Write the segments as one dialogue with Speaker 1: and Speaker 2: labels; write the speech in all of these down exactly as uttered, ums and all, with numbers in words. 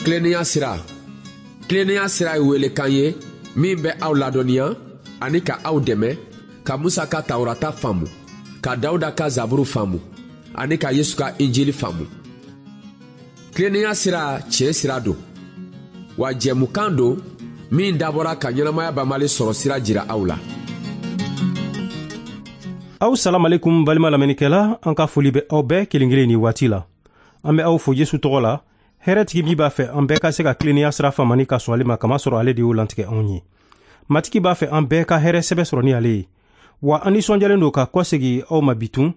Speaker 1: Tilennenya sira. Tilennenya sira ye welekan ye min bɛ aw ladɔnniya ani ka aw dɛmɛ ka Musa ka Tawurata faamu, ka Dawuda ka Zaburu faamu ani ka Yesu ka Injili faamu. Tilennenya sira tiɲɛ sira don, wa jɛmukan don min dabɔra ka ɲɛnamaya banbali sɔrɔ sira jira aw la.
Speaker 2: Aw salamalekum balima lamɛnnikɛla, an ka foli bɛ aw bɛɛ kelen kelen ni waati la. An bɛ aw fo Yesu tɔgɔ la, hɛrɛtigi min b'a fɛ an bɛɛ ka se ka tilennenya sira faamu ani ka sɔn ale ma, kamasɔrɔ ale de y'o lantigɛ anw ye. Matigi b'a fɛ an bɛɛ ka hɛrɛ sɛbɛ sɔrɔ ni ale ye. Wa an nisɔndiyalen don ka kɔsegi aw ma bitun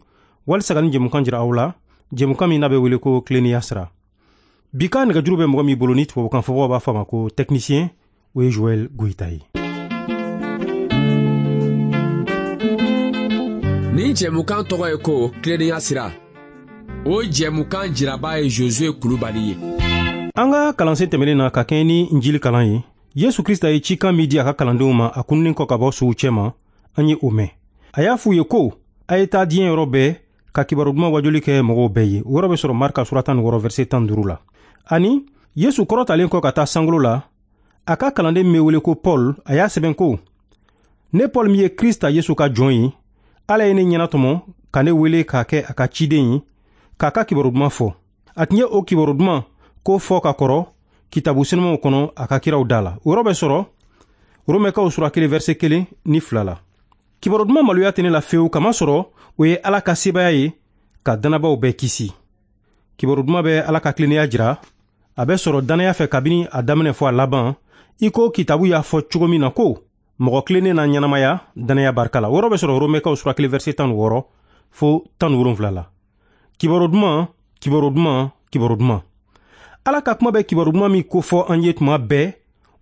Speaker 2: walisa ka nin jɛmukan jira aw la, jɛmukan min n'a bɛ wele ko tilennenya sira. Bi ka nɛgɛjuru bɛ mɔgɔ min bolo ni tubabukan fɔbagaw b'a fɔ a ma ko technicien, o ye Joël Goïta ye.
Speaker 1: Nin jɛmukan tɔgɔ ye ko tilennenya sira. O jɛmukan jiraba ye Josué Kulubali ye.
Speaker 2: An ka kalansen tɛmɛnen na ka kɛɲɛ ni Injili kalan ye, Yesu Krista ye cikan min di a ka kalandenw ma a kununnen kɔ ka bɔ sow cɛma, an ye o mɛn. A y'a f'u ye ko a ye taa diɲɛ yɔrɔ bɛɛ ka kibaru duman wajuli kɛ mɔgɔw bɛɛ ye. O yɔrɔ bɛ sɔrɔ Marka sura tan ni wɔɔrɔ verset tan ni duuru la. Ani Yesu kɔrɔtalen kɔ ka taa sankolo la, a ka kalanden min bɛ wele ko Paul, a y'a sɛbɛn ko: ne Paul min ye Krista Yesu ka jɔn ye, Ala ye ne ɲɛnatɔmɔ ka ne wele k'a kɛ a ka ciden ye, k'a ka kibaru duman fɔ. A tun ye o kibaru duman ko fɔ ka kɔrɔ kitabu senumanw kɔnɔ a ka kiraw da la. O yɔrɔ bɛ sɔrɔ Romɛkaw sura kelen verset kelen ni fila la. Kibaru duman maloya tɛ ne la fewu, kamasɔrɔ o ye Ala ka sebaaya ye ka dannabaw bɛɛ kisi. Kibaru duman bɛ Ala ka tilennenya jira, a bɛ sɔrɔ dannaya fɛ kabini a daminɛ fɔ a laban, i ko kitabu y'a fɔ cogo min na ko mɔgɔ tilennen na ɲɛnamaya dannaya barika la. O yɔrɔ bɛ sɔrɔ Romɛkaw sura kelen verset tan ni wɔɔrɔ fo tan ni wolonwula la. Kibaru duman, kibaru duman, kibaru duman. Ala ka kuma bɛ kibaru duman min kofɔ an ye tuma bɛɛ,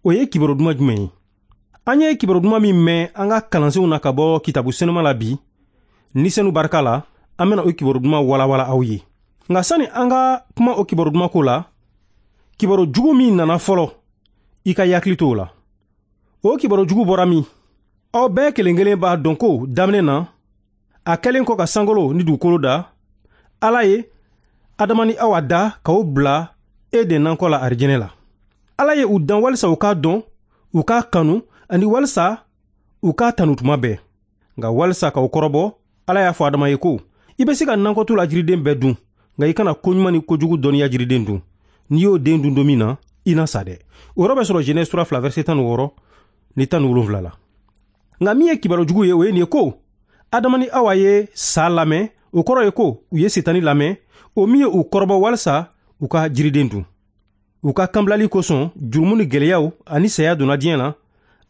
Speaker 2: o ye kibaru duman jumɛn ye? An ye kibaru duman min mɛn an ka kalansenw na ka bɔ kitabu senuma la bi, ni senu barika la, an bɛna o kibaru duman walawala aw ye. Nka sani an ka kuma o kibaru duman ko la, kibaru jugu min nana fɔlɔ, i ka hakili to o la. O kibaru jugu bɔra min? Aw bɛɛ kelen kelen b'a dɔn ko daminɛ na, a kɛlen kɔ ka sankolo ni dugukolo da, Ala ye Adama ni Awa da k'o bila Eden nakɔ la arijinɛ la. Ala ye u dan walisa u k'a dɔn, u k'a kanu, ani walisa u k'a tanu tuma bɛɛ. Nka walisa k'aw kɔrɔbɔ, Ala y'a fɔ Adama ye ko: i bɛ se ka nakɔtu la jiriden bɛɛ dun, nka i kana koɲuman ni kojugu dɔnniya jiriden dun. N'i y'o den dun don min na, i na sa dɛ. O yɔrɔ bɛ sɔrɔ Genèse sura fila verset tan ni wɔɔrɔ ni tan ni wolonwula la. Nka min ye kibaru jugu ye, o ye nin ye ko Adama ni Awa ye sa lamɛn, o kɔrɔ ye ko u ye Setani lamɛn, o min ye u kɔrɔbɔ walisa u ka jiriden dun. U ka kanbilali kosɔn, jurumu ni gɛlɛyaw ani saya donna diɲɛ na,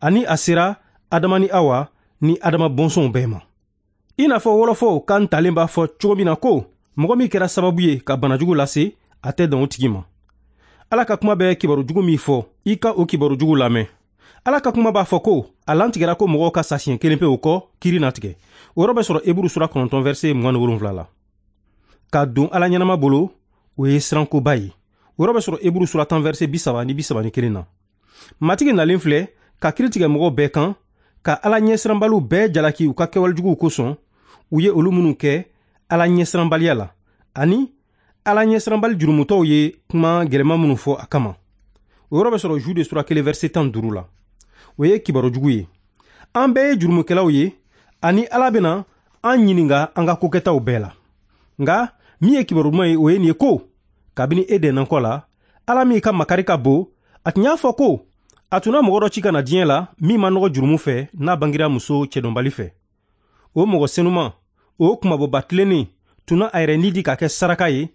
Speaker 2: ani a sera Adama ni Awa ni Adama bɔnsɔnw bɛɛ ma. I n'a fɔ wɔlɔfɔw kan talen b'a fɔ cogo min na ko mɔgɔ min kɛra sababu ye ka banajugu lase, a tɛ dan o tigi ma. Ala ka kuma bɛ kibaru jugu min fɔ, i ka o kibaru jugu lamɛn. Ala ka kuma b'a fɔ ko a lantigɛra ko mɔgɔw ka sa siɲɛ kelen pe, o kɔ kiri na tigɛ. O yɔrɔ bɛ sɔrɔ Eburu sura kɔnɔntɔn verset mugan ni wolonwula la. Ka don Ala ɲɛnama bolo, o ye sirankoba ye. O yɔrɔ bɛ sɔrɔ Eburu sura tan verset bi saba ni bi saba ni kelen na. Matigi nalen filɛ ka kiri tigɛ mɔgɔw bɛɛ kan, ka Ala ɲɛsiranbaliw bɛɛ jalaki u ka kɛwale juguw kosɔn, u ye olu minnu kɛ Ala ɲɛsiranbaliya la, ani Ala ɲɛsiranbali jurumutɔw ye kuma gɛlɛman minnu fɔ a kama. O yɔrɔ bɛ sɔrɔ Jude sura kelen verset tan ni duuru la. O ye kibaru jugu ye. An bɛɛ ye jurumukɛlaw ye, ani Ala bɛna an ɲininka an ka kokɛtaw bɛɛ la. Nka min ye kibaru duman ye, o ye nin ye ko kabini Eden nakɔ la, Ala min ka makari ka bon, a tun y'a fɔ ko a tun na mɔgɔ dɔ ci ka na diɲɛ la min ma nɔgɔ jurumu fɛ, n'a bangira muso cɛdɔnbali fɛ. O mɔgɔ senuman, o kunmabɔba tilennen tun na a yɛrɛ ni di ka kɛ saraka ye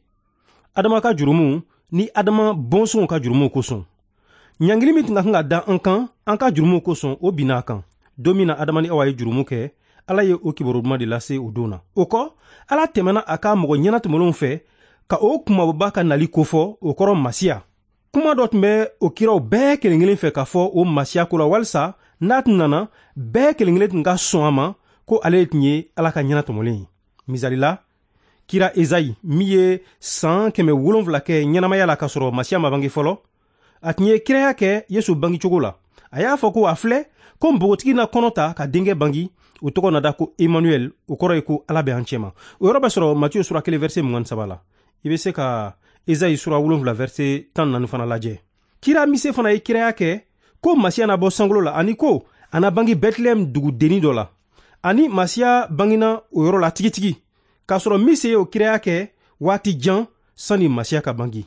Speaker 2: Adama ka jurumu ni Adama bɔnsɔnw ka jurumu kosɔn. Ɲangili min tun ka kan ka da an kan an ka jurumu kosɔn, o binna a kan. Don min na Adama ni Awa ye jurumu kɛ, Ala ye o kibaru duman de lase o don na. O kɔ, Ala tɛmɛna a ka mɔgɔ ɲɛnatɔmɔlenw fɛ ka o kunmabɔba ka nali kofɔ, o kɔrɔ Masiya. Kuma dɔ tun bɛ o kiraw bɛɛ kelen kelen fɛ k'a fɔ o Masiya ko la, walisa n'a tun nana, bɛɛ kelen kelen tun ka sɔn a ma ko ale tun ye Ala ka ɲɛnatɔmɔlen ye. Misali la, kira Ezayi min ye san kɛmɛ wolonwula kɛ ɲɛnamaya la k'a sɔrɔ Masiya ma bange fɔlɔ, a tun ye kiraya kɛ Yesu bangecogo la. A y'a fɔ ko a filɛ ko npogotigi na kɔnɔ ta ka denkɛ bange, o tɔgɔ na da ko Emmanuel, o kɔrɔ ye ko Ala bɛ an cɛma. O yɔrɔ bɛ sɔrɔ Matiyu sura kelen verset mugan ni saba la. I bɛ se ka Ezayi sura wolonwula verset tan ni naani fana lajɛ. Kira Mise fana ye kiraya kɛ ko Masiya na bɔ sankolo la, ani ko a na bange Bɛtilɛhɛm dugudennin dɔ la. Ani Masiya bangena o yɔrɔ la tigitigi, k'a sɔrɔ Mise ye o kiraya kɛ waati jan sani Masiya ka bange.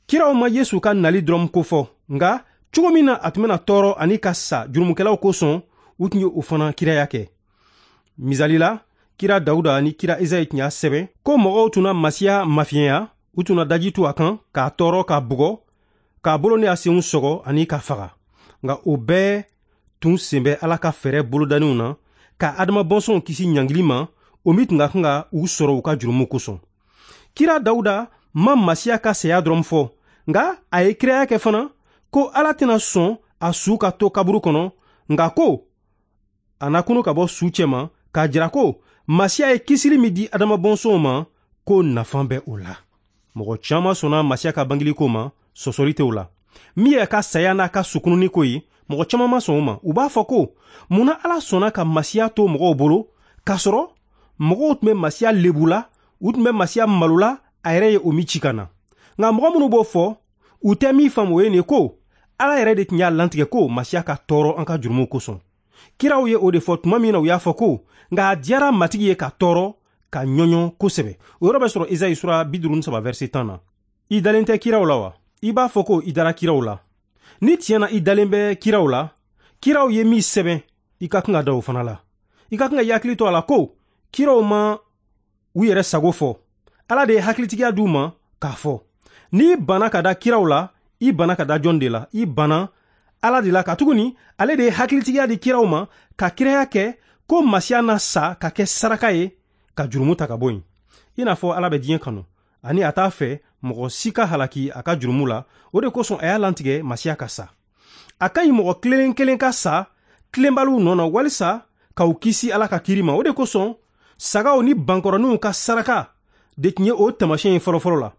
Speaker 2: Kiraw ma Yesu ka nali dɔrɔn kofɔ, nka cogo min na a tun bɛna tɔɔrɔ ani ka sa jurumukɛlaw kosɔn, u tun ye o fana kiraya kɛ. Misali la, kira Dawuda ni kira Ezayi tun y'a sɛbɛn ko mɔgɔw tun na Masiya mafiɲɛya, u tun na daji tu a kan k'a tɔɔrɔ, k'a bugɔ, k'a bolo ni a senw sɔgɔ ani k'a faga. Nka o bɛɛ tun sen bɛ Ala ka fɛɛrɛ bolodaninw na ka Adama bɔnsɔnw kisi ɲangili ma, o min tun ka kan ka u sɔrɔ u ka jurumu kosɔn. Kira Dawuda ma Masiya ka saya dɔrɔn fɔ, nka a ye kiraya kɛ fana ko Ala tɛna sɔn a su ka to kaburu kɔnɔ, nka ko a na kunu ka bɔ su cɛma, k'a jira ko Masiya ye kisili min di Adama bɔnsɔnw ma, ko nafa bɛ o la. Mɔgɔ caman sɔnna Masiya ka bangeli ko ma, sɔsɔli tɛ o la. Min ye a ka saya n'a ka sukununi ko ye, mɔgɔ caman ma sɔn o ma. U b'a fɔ ko munna Ala sɔnna ka Masiya to mɔgɔw bolo, k'a sɔrɔ mɔgɔw tun bɛ Masiya lebu la, u tun bɛ Masiya malo la, a yɛrɛ ye o min ci ka na. Nka mɔgɔ minnu b'o fɔ, u tɛ min faamu o ye nin ko Ala yɛrɛ de tun y'a lantigɛ ko Masiya ka tɔɔrɔ an ka jurumuw kosɔn. Kiraw ye o de fɔ tuma min na u y'a fɔ ko nka a diyara Matigi ye ka tɔɔrɔ ka ɲɔɲɔ kosɛbɛ. O yɔrɔ bɛ sɔrɔ Ezayi sura bi duuru ni saba verset tan na. I dalen tɛ kiraw la wa? I b'a fɔ ko i dara kiraw la. Ni tiɲɛ na i dalen bɛ kiraw la, kiraw ye min sɛbɛn, i ka kan ka da o fana la. I ka kan ka i hakili to a la ko kiraw ma u yɛrɛ sago fɔ. Ala de ye hakilitigiya d'u ma k'a fɔ. N'i banna ka da kiraw la, i banna ka da jɔn de la? I banna Ala de la, katuguni ale de ye hakilitigiya di kiraw ma ka kiraya kɛ ko Masiya na sa ka kɛ saraka ye ka jurumu ta ka bɔ yen. I n'a fɔ Ala bɛ diɲɛ kanu ani a t'a fɛ mɔgɔ si ka halaki a ka jurumu la, o de kosɔn a y'a lantigɛ Masiya ka sa. A ka ɲi mɔgɔ kelen kelen ka sa tilenbaliw nɔ na walisa k'u kisi Ala ka kiiri ma. O de kosɔn sagaw ni bankɔrɔninw ka saraka de tun ye o taamasiyɛn ye fɔlɔfɔlɔ la.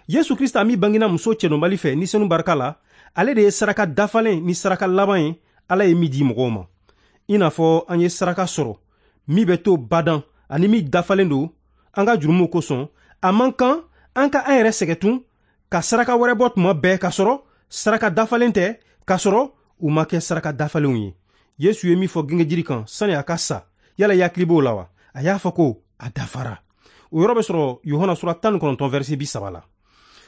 Speaker 2: Yesu Krista min bangena muso cɛdɔnbali fɛ ni senu barika la, ale de ye saraka dafalen ni saraka laban ye Ala ye min di mɔgɔw ma. I n'a fɔ an ye saraka sɔrɔ min bɛ to badan ani min dafalen don an ka jurumuw kosɔn, a man kan an ka an yɛrɛ sɛgɛn tun ka saraka wɛrɛ bɔ tuma bɛɛ k'a sɔrɔ saraka dafalen tɛ, k'a sɔrɔ u ma kɛ saraka dafalenw ye. Yesu ye min fɔ gengejiri kan sani a ka sa, yala i hakili b'o la wa? A y'a fɔ ko a dafara. O yɔrɔ bɛ sɔrɔ Yohana sura tan ni kɔnɔntɔn verset bi saba la.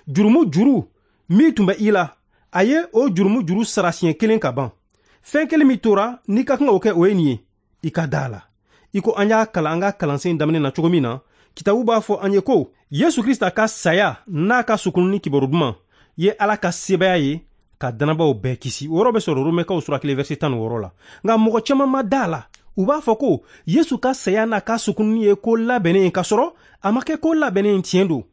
Speaker 2: Jurumu juru min tun bɛ i la, a ye o jurumu juru sara siɲɛ kelen ka ban. Fɛn kelen min tora n'i ka kan k'o kɛ, o ye nin ye, i ka da a la. I ko an y'a kalan an ka kalansen daminɛ na cogo min na, kitabu b'a fɔ an ye ko Yesu Krista ka saya n'a ka sukununi kibaru duman ye Ala ka sebaaya ye ka danabaaw bɛɛ kisi. O yɔrɔ bɛ sɔrɔ Romɛkaw sura kelen verset tan ni wɔɔrɔ la. Nka mɔgɔ caman ma da a la. U b'a fɔ ko Yesu ka saya n'a ka sukununi ye ko labɛnnen ye, k'a sɔrɔ a ma kɛ ko labɛnnen ye tiɲɛ don.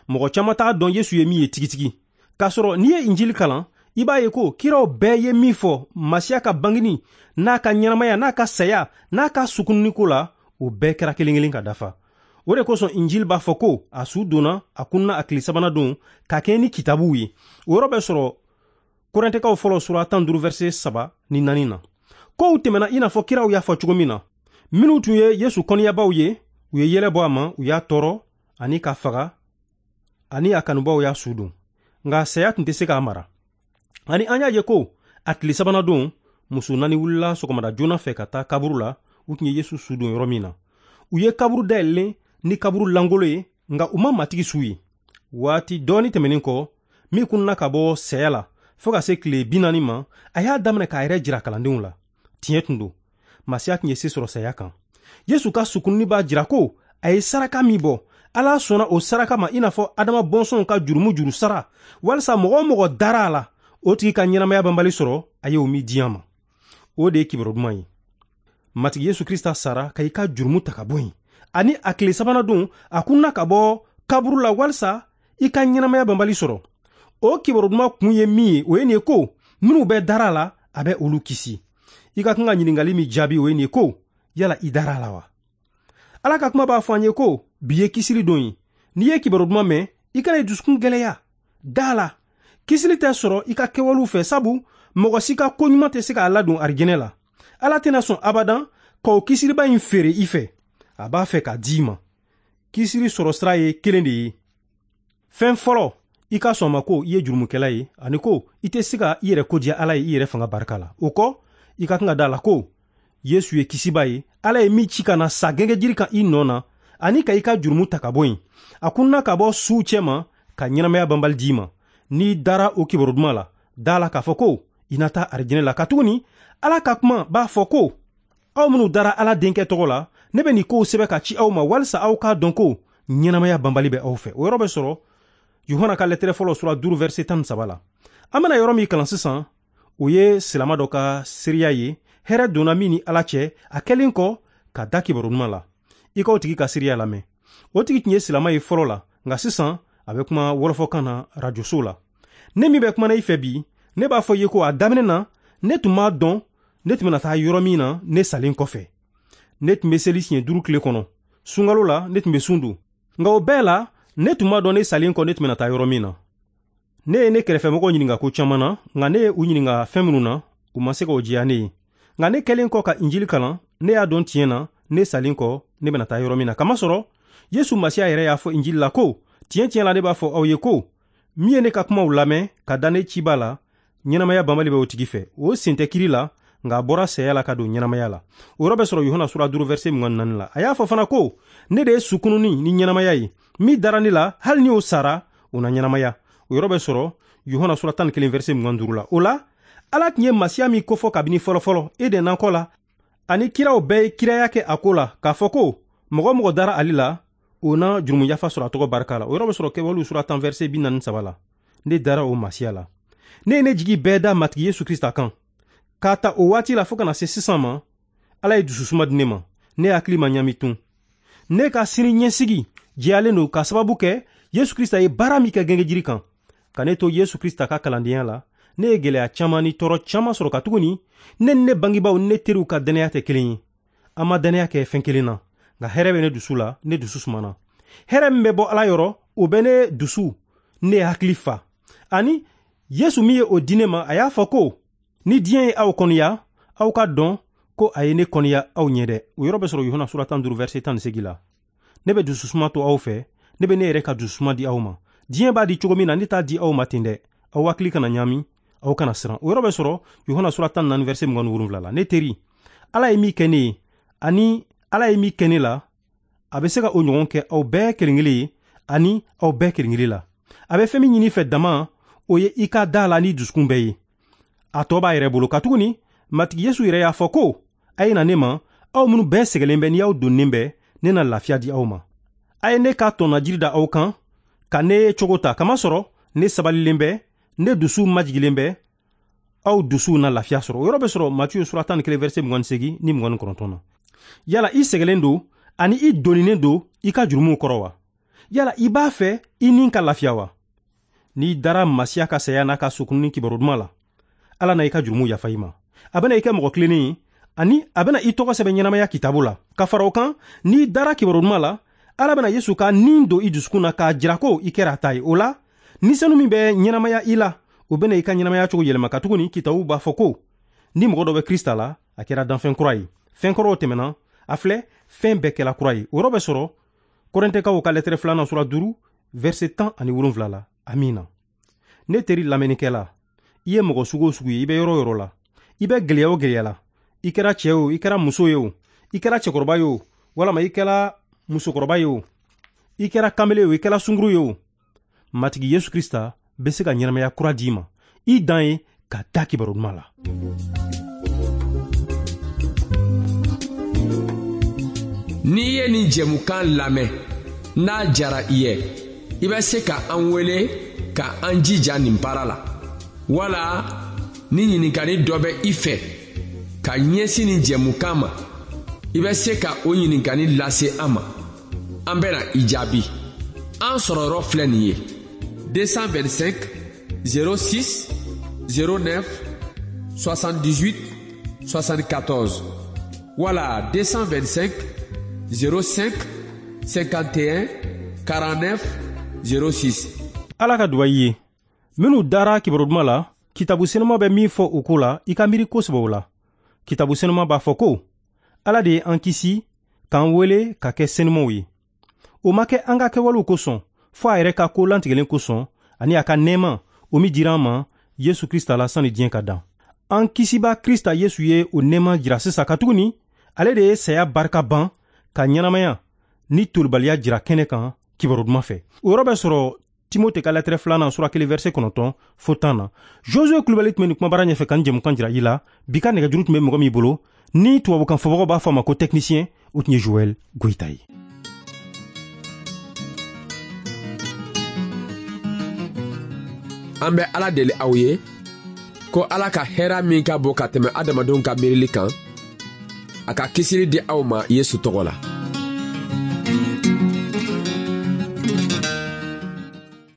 Speaker 2: Mɔgɔ caman t'a dɔn Yesu ye min ye tigitigi. K'a sɔrɔ n'i ye Injili kalan, i b'a ye ko kiraw bɛɛ ye min fɔ Masiya ka bangeni n'a ka ɲɛnamaya n'a ka saya n'a ka sukununi ko la, o bɛɛ kɛra kelen kelen ka dafa. O de kosɔn Injili b'a fɔ ko a su donna, a kunna a tile sabanan don ka kɛɲɛ ni kitabuw ye. O yɔrɔ bɛ sɔrɔ Korintɛkaw fɔlɔ sura tan duuru verset saba ni naani na. Kow tɛmɛna i n'a fɔ kiraw y'a fɔ cogo min na. Minnu tun ye Yesu kɔniyabaw ye, u ye yɛlɛ bɔ a ma, u y'a tɔɔrɔ ani k'a faga, ani a kanubaw y'a su don. Nka saya tun tɛ se k'a mara. Ani an y'a ye ko a tile sabanan don, muso naani wulila sɔgɔmada joona fɛ ka taa kaburu la, u tun ye Yesu su don yɔrɔ min na. U ye kaburu dayɛlɛlen ni kaburu langolo ye, nka u ma Matigi su ye. Waati dɔɔni tɛmɛnen kɔ, min kunna ka bɔ saya la fo ka se tile bi naani ma, a y'a daminɛ k'a yɛrɛ jira kalandenw la. Tiɲɛ tun don, Masiya tun ye se sɔrɔ saya kan. Yesu ka sukununi b'a jira ko a ye saraka min bɔ, Ala sɔnna o saraka ma i n'a fɔ Adama bɔnsɔnw ka jurumu juru sara, walisa mɔgɔ o mɔgɔ dara a la, o tigi ka ɲɛnamaya banbali sɔrɔ a ye o min di an ma. O de ye kibaru duman ye. Matigi Yesu Krista sara ka i ka jurumu ta ka bɔ yen, ani a tile sabanan don a kunna ka bɔ kaburu la walisa i ka ɲɛnamaya banbali sɔrɔ. O kibaru duman kun ye min ye, o ye nin ye ko minnu bɛ dara a la, a bɛ olu kisi. I ka kan ka ɲininkali min jaabi, o ye nin ye ko yala i dara a la wa? Ala ka kuma b'a fɔ an ye ko bi ye kisili don ye. N'i ye kibaru duman mɛn, i kana i dusukun gɛlɛya. Da la. Kisili tɛ sɔrɔ i ka kɛwalew fɛ, sabu mɔgɔ si ka ko ɲuman tɛ se k'a ladon arijinɛ la. Ala tɛna sɔn abadan k'o kisiliba in feere i fɛ. A b'a fɛ k'a d'i ma. Kisili sɔrɔ sira ye kelen de ye. Fɛn fɔlɔ I ka sɔn ma ko i ye jurumukɛla ye, ani ko i tɛ se ka i yɛrɛ kodiya Ala ye i yɛrɛ fanga barika la. O kɔ, i ka kan ka da la ko Yesu ye kisiba ye, Ala ye min ci ka na sa gɛngɛjiri kan i nɔ na, ani ka i ka jurumu ta ka bɔ yen. A kunna ka bɔ suw cɛma ka ɲɛnamaya banbali d'i ma. N'i dara o kibaru duman la, da la k'a fɔ ko i na taa arijinɛ la. Katuguni Ala ka kuma b'a fɔ ko aw minnu dara Ala denkɛ tɔgɔ la, ne bɛ nin kow sɛbɛn ka ci aw ma walisa aw k'a dɔn ko ɲɛnamaya banbali bɛ aw fɛ. O yɔrɔ bɛ sɔrɔ Yohana ka lɛtɛrɛ fɔlɔ sura duuru verset tan ni saba la. An bɛna yɔrɔ min kalan sisan, o ye silama dɔ ka seereya ye, hɛrɛ donna min ni Ala cɛ a kɛlen kɔ ka da kibaru duman la. I k'o tigi ka seereya lamɛn. O tigi tun ye silama ye fɔlɔ la, nka sisan a bɛ kuma wɔlɔfɔkan na rajoso la. Ne min bɛ kuma na i fɛ bi, ne b'a fɔ i ye ko a daminɛ na, ne tun m'a dɔn ne tun bɛna taa yɔrɔ min na ne salen kɔfɛ. Ne tun bɛ seli siɲɛ duuru tile kɔnɔ. Sunkalo la, ne tun bɛ sun don. Nka o bɛɛ la, ne tun m'a dɔn ne salen kɔ ne tun bɛna taa yɔrɔ min na. Ne ye ne kɛrɛfɛmɔgɔw ɲininka ko caman na, nka ne ye u ɲininka fɛn minnu na, u ma se k'o jɛya ne ye. Nka ne kɛlen kɔ ka Injili kalan, ne y'a dɔn tiɲɛ na, ne salen kɔ ne bɛna taa yɔrɔ min na. Kamasɔrɔ Yesu Masiya yɛrɛ y'a fɔ Injili la ko, tiɲɛ tiɲɛ la ne b'a fɔ aw ye ko, min ye ne ka kumaw lamɛn ka da ne ciba la, ɲɛnamaya banbali bɛ o tigi fɛ. O sen tɛ kiri la, nka a bɔra saya la ka don ɲɛnamaya la. O yɔrɔ bɛ sɔrɔ Yohana sura duuru verset mugan ni naani la. A y'a fɔ fana ko, ne de ye sukununi ni ɲɛnamaya ye. Min dara ne la, hali ni o sara, o na ɲɛnamaya. O yɔrɔ bɛ sɔrɔ Yohana sura tan ni kelen verset mugan ni duuru la. O la, Ala tun ye Masiya min kofɔ kabini fɔlɔfɔlɔ Eden nakɔ la, ani kiraw bɛɛ ye kiraya kɛ a ko la k'a fɔ ko mɔgɔ mɔgɔ dara ale la, o na jurumu yafa sɔrɔ a tɔgɔ barika la. O yɔrɔ bɛ sɔrɔ Kɛwalew sura tan verset bi naani saba la. Ne dara o Masiya la. Ne ye ne jigi bɛɛ da Matigi Yesu Krista kan. K'a ta o waati la fo ka na se sisan ma, Ala ye dususuma di ne ma. Ne hakili ma ɲami tun. Ne ka sini ɲɛsigi jɛyalen don ka sababu kɛ Yesu Krista ye baara min kɛ gɛngɛjiri kan. Ka ne to Yesu Krista ka kalandenya la, ne ye gɛlɛya caman ni tɔɔrɔ caman sɔrɔ katuguni ne ni ne bangebaaw ni ne teriw ka dannaya tɛ kelen ye. An ma dannaya kɛ fɛn kelen na, nka hɛrɛ bɛ ne dusu la, ne dusu sumana. Hɛrɛ min bɛ bɔ Ala yɔrɔ, o bɛ ne dusu, ne hakili fa. Ani Yesu min ye o di ne ma, a y'a fɔ ko, ni diɲɛ ye aw kɔniya, aw ka dɔn ko a ye ne kɔniya aw ɲɛ dɛ. O yɔrɔ bɛ sɔrɔ Yohana sura tan duuru verset tan ni seegin la. Ne bɛ dususuma to aw fɛ, ne bɛ ne yɛrɛ ka dususuma di aw ma. Diɲɛ b'a di cogo min na, ne t'a di aw ma ten dɛ. Aw hakili kana ɲami, aw kana siran. O yɔrɔ bɛ sɔrɔ Yohana sura tan ni naani verset mugan ni wolonwula la. Ne teri, Ala ye min kɛ ne ye, ani Ala ye min kɛ ne la, a bɛ se ka o ɲɔgɔn kɛ aw bɛɛ kelen kelen ye, ani aw bɛɛ kelen kelen la. A bɛ fɛn min ɲini i fɛ dama, o ye i ka da la ni dusukun bɛɛ ye. A tɔ b'a yɛrɛ bolo. Katuguni Matigi Yesu yɛrɛ y'a fɔ ko, a ye na ne ma, aw minnu bɛɛ sɛgɛlen bɛ ni aw donnen bɛ, ne na lafiya di aw ma. A ye ne ka tɔnajiri da aw kan, ka ne cogo ta, kamasɔrɔ ne sabalilen bɛ, ne dusu majigilen bɛ, aw dusuw na lafiya sɔrɔ. O yɔrɔ bɛ sɔrɔ Matiyu sura tan ni kelen verset mugan ni seegin ni mugan ni kɔnɔntɔn na. Yala i sɛgɛlen don ani i doninen don i ka jurumuw kɔrɔ wa? Yala i b'a fɛ i ni ka lafiya wa? N'i dara Masiya ka saya n'a ka sukununi kibaru duman la, Ala na i ka jurumu yafa i ma. A bɛna i kɛ mɔgɔ tilennen ye, ani a bɛna i tɔgɔ sɛbɛn ɲɛnamaya kitabu la. Ka fara o kan, n'i dara kibaru duman la, Ala bɛna Yesu ka nin don i dusukun na k'a jira ko i kɛra a ta ye. O la, ni senu min bɛ ɲɛnamaya i la, o bɛna i ka ɲɛnamaya cogo yɛlɛma. Katuguni kitabu b'a fɔ ko ni mɔgɔ dɔ bɛ Krista la, a kɛra danfɛn kura ye. Fɛn kɔrɔw tɛmɛna, a filɛ, fɛn bɛɛ kɛla kura ye. O yɔrɔ bɛ sɔrɔ Kɔrɛntɛkaw ka lɛtɛrɛ filanan sura duuru verset tan ani wolonwula la. Amina. Ne teri lamɛnnikɛla, i ye mɔgɔ sugu o sugu ye, i bɛ yɔrɔ o yɔrɔ la, i bɛ gɛlɛya o gɛlɛya la, i kɛra cɛ o, i kɛra muso ye o, i kɛra cɛkɔrɔba ye o, walama i kɛra musokɔrɔba ye o, i kɛra kamalen o, i kɛra sunguru ye o, Matigi Yesu Krista bɛ se ka ɲɛnamaya kura d'i ma. I dan ye ka da kibaru duman la.
Speaker 1: N'i ye nin jɛmukan lamɛn, n'a jara i ye, i bɛ se ka an wele ka an jija nin baara la. Wala ni ɲininkali dɔ bɛ i fɛ ka ɲɛsin nin jɛmukan ma, i bɛ se ka o ɲininkali lase an ma. An bɛna i jaabi. An sɔrɔyɔrɔ filɛ nin ye: deux cent vingt-cinq zéro six zéro neuf soixante-dix-huit soixante-quatorze wala deux cent vingt-cinq zéro cinq cinquante et un quarante-neuf zéro six.
Speaker 2: Ala ka duba i ye. Minnu dara kibaru duman la, kitabu senuma bɛ min fɔ o ko la, i ka miiri kosɛbɛ o la. Kitabu senuma b'a fɔ ko Ala de ye an kisi k'an wele ka kɛ senumaw ye. O ma kɛ an ka kɛwalew kosɔn, fɔ a yɛrɛ ka ko lantigɛlen kosɔn, ani a ka nɛɛma o min dira an ma Yesu Krista la sani diɲɛ ka dan. An kisiba Krista Yesu ye o nɛɛma jira sisan, katuguni ale de ye saya barika ban ka ɲɛnamaya ni tolibaliya jira kɛnɛ kan kibaru duman fɛ. O yɔrɔ bɛ sɔrɔ Timote ka lɛtɛrɛ filanan sura kelen verset kɔnɔntɔn fo tan na. Josue Kulubali tun bɛ nin kumabara ɲɛfɛ ka nin jɛmukan jira i la. Bi ka nɛgɛjuru tun bɛ mɔgɔ min bolo ni tubabukan fɔbagaw b'a fɔ a ma ko technicien, o tun ye Joël Goyita ye.
Speaker 1: An bɛ Ala deli aw ye ko Ala ka hɛrɛ min ka bon ka tɛmɛ adamadenw ka miirili kan, a ka kisili di aw ma Yesu tɔgɔ la.